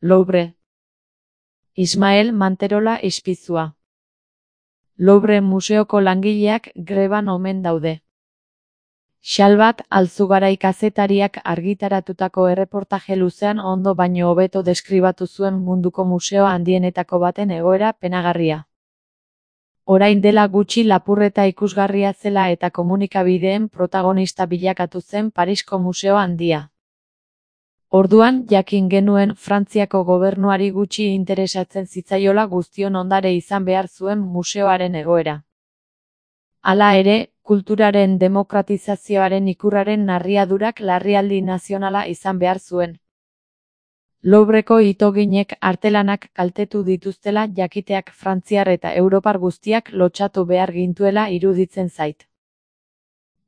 Louvre. Ismael Manterola ispizua. Louvre museoko langileak greban omen daude. Xalbat Alzugarai kazetariak argitaratutako erreportaje luzean ondo baino hobeto deskribatu zuen munduko museo handienetako baten egoera penagarria. Orain dela gutxi lapurreta ikusgarria zela eta komunikabideen protagonista bilakatu zen Parisko museo handia. Orduan jakin genuen Frantziako gobernuari gutxi interesatzen zitzaiola guztion ondare izan behar zuen museoaren egoera. Hala ere, kulturaren demokratizazioaren ikurraren narriadurak larrialdi nazionala izan behar zuen. Louvreko itoginek artelanak kaltetu dituztela jakiteak frantziar eta europar guztiak lotsatu behar gintuela iruditzen zait.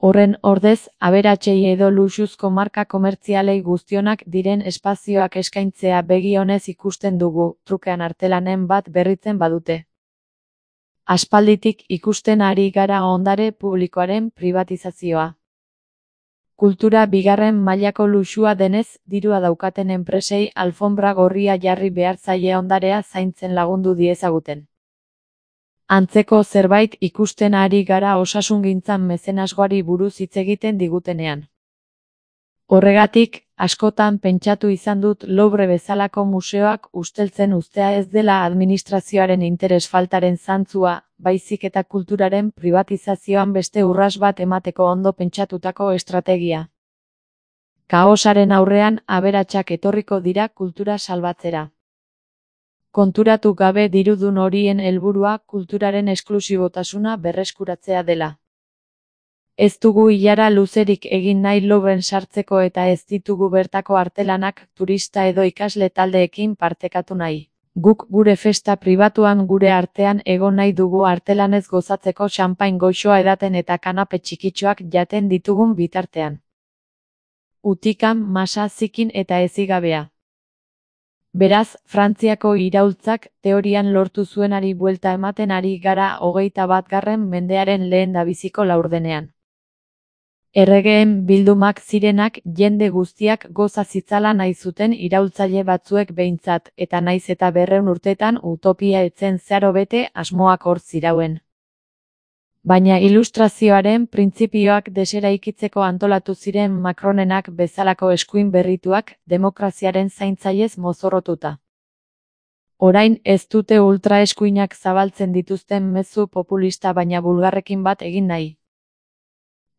Horren ordez, aberatsei edo luxuzko marka komertzialei guztionak diren espazioak eskaintzea begi onez ikusten dugu, trukean artelanen bat berritzen badute. Aspalditik ikusten ari gara ondare publikoaren pribatizazioa. Kultura bigarren mailako luxua denez, dirua daukaten enpresei alfonbra gorria jarri behar zaie ondarea zaintzen lagundu diezaguten. Antzeko zerbait ikusten ari gara osasungintzan mezenasgoari buruz hitz egiten digutenean. Horregatik, askotan pentsatu izan dut Louvre bezalako museoak usteltzen uztea ez dela administrazioaren interes faltaren zantzua, baizik eta kulturaren pribatizazioan beste urras bat emateko ondo pentsatutako estrategia. Kaosaren aurrean aberatsak etorriko dira kultura salbatzera. Konturatu gabe dirudun horien helburua kulturaren esklusibotasuna berreskuratzea dela. Ez dugu ilara luzerik egin nahi Louvren sartzeko eta ez ditugu bertako artelanak turista edo ikasle taldeekin partekatu nahi. Guk gure festa pribatuan gure artean egon nahi dugu artelanez gozatzeko xanpain goxoa edaten eta kanape txikitxoak jaten ditugun bitartean. Utikan, masa, zikin eta ezigabea. Beraz, Frantziako iraultzak teorian lortu zuenari buelta ematen ari gara 21. mendearen lehendabiziko laurdenean. Erregeen bildumak zirenak jende guztiak goza zitzala nahi zuten iraultzaile batzuek behintzat, eta naiz eta 200 urtetan utopia etzen zeharo bete asmoak hor zirauen. Baina ilustrazioaren printzipioak deseraikitzeko antolatu ziren Macronenak bezalako eskuin berrituak demokraziaren zaintzailez mozorrotuta. Orain ez dute ultraeskuinak zabaltzen dituzten mezu populista baina bulgarrekin bat egin nahi.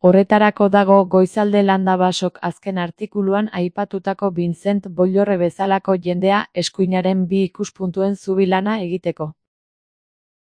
Horretarako dago Goizalde Landabasok azken artikuluan aipatutako Vincent Bollorre bezalako jendea eskuinaren bi ikuspuntuen zubi lana egiteko.